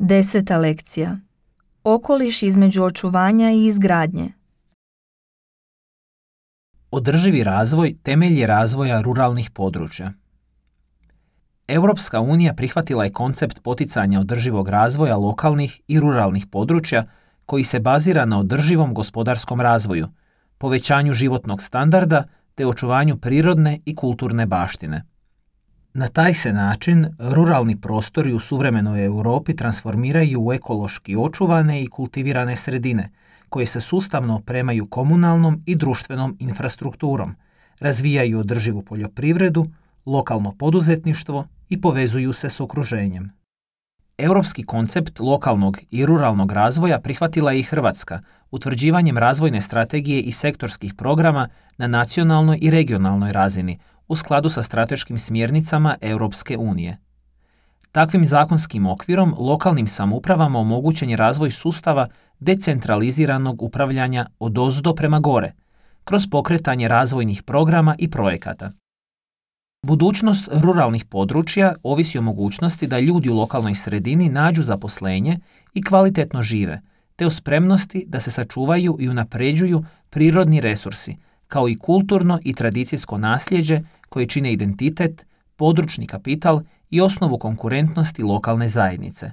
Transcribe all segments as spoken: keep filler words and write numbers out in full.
Deseta lekcija. Okoliš između očuvanja i izgradnje. Održivi razvoj temelj je razvoja ruralnih područja. Europska unija prihvatila je koncept poticanja održivog razvoja lokalnih i ruralnih područja koji se bazira na održivom gospodarskom razvoju, povećanju životnog standarda te očuvanju prirodne i kulturne baštine. Na taj se način ruralni prostori u suvremenoj Europi transformiraju u ekološki očuvane i kultivirane sredine, koje se sustavno opremaju komunalnom i društvenom infrastrukturom, razvijaju održivu poljoprivredu, lokalno poduzetništvo i povezuju se s okruženjem. Europski koncept lokalnog i ruralnog razvoja prihvatila je i Hrvatska utvrđivanjem razvojne strategije i sektorskih programa na nacionalnoj i regionalnoj razini u skladu sa strateškim smjernicama Europske unije. Takvim zakonskim okvirom lokalnim samoupravama omogućen je razvoj sustava decentraliziranog upravljanja odozdo prema gore, kroz pokretanje razvojnih programa i projekata. Budućnost ruralnih područja ovisi o mogućnosti da ljudi u lokalnoj sredini nađu zaposlenje i kvalitetno žive, te o spremnosti da se sačuvaju i unapređuju prirodni resursi, kao i kulturno i tradicijsko nasljeđe koje čine identitet, područni kapital i osnovu konkurentnosti lokalne zajednice.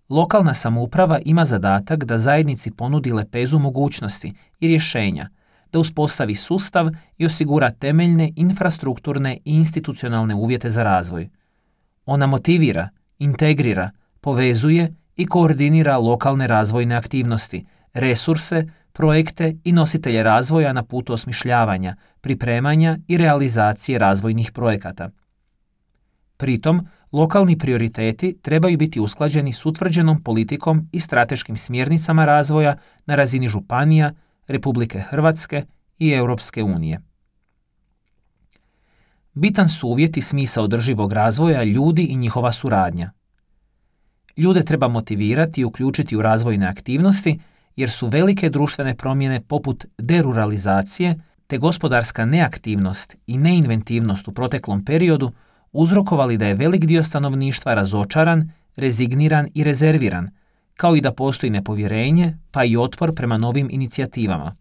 Lokalna samouprava ima zadatak da zajednici ponudi lepezu mogućnosti i rješenja, da uspostavi sustav i osigura temeljne infrastrukturne i institucionalne uvjete za razvoj. Ona motivira, integrira, povezuje i koordinira lokalne razvojne aktivnosti, resurse, projekte i nositelje razvoja na putu osmišljavanja, pripremanja i realizacije razvojnih projekata. Pritom, lokalni prioriteti trebaju biti usklađeni s utvrđenom politikom i strateškim smjernicama razvoja na razini županija, Republike Hrvatske i Europske unije. Bitan su uvjet i smisao održivog razvoja ljudi i njihova suradnja. Ljude treba motivirati i uključiti u razvojne aktivnosti jer su velike društvene promjene poput deruralizacije te gospodarska neaktivnost i neinventivnost u proteklom periodu uzrokovali da je velik dio stanovništva razočaran, rezigniran i rezerviran, kao i da postoji nepovjerenje pa i otpor prema novim inicijativama.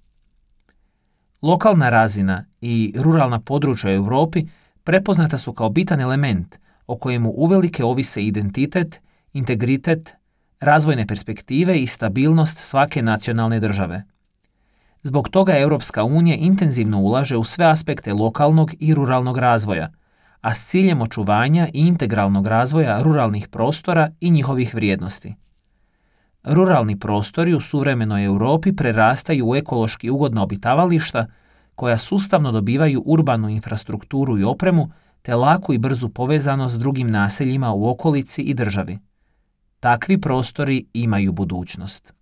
Lokalna razina i ruralna područja u Europi prepoznata su kao bitan element o kojemu uvelike ovise identitet, integritet, razvojne perspektive i stabilnost svake nacionalne države. Zbog toga Europska unija intenzivno ulaže u sve aspekte lokalnog i ruralnog razvoja, a s ciljem očuvanja i integralnog razvoja ruralnih prostora i njihovih vrijednosti. Ruralni prostori u suvremenoj Europi prerastaju u ekološki ugodna obitavališta koja sustavno dobivaju urbanu infrastrukturu i opremu te laku i brzu povezanost s drugim naseljima u okolici i državi. Takvi prostori imaju budućnost.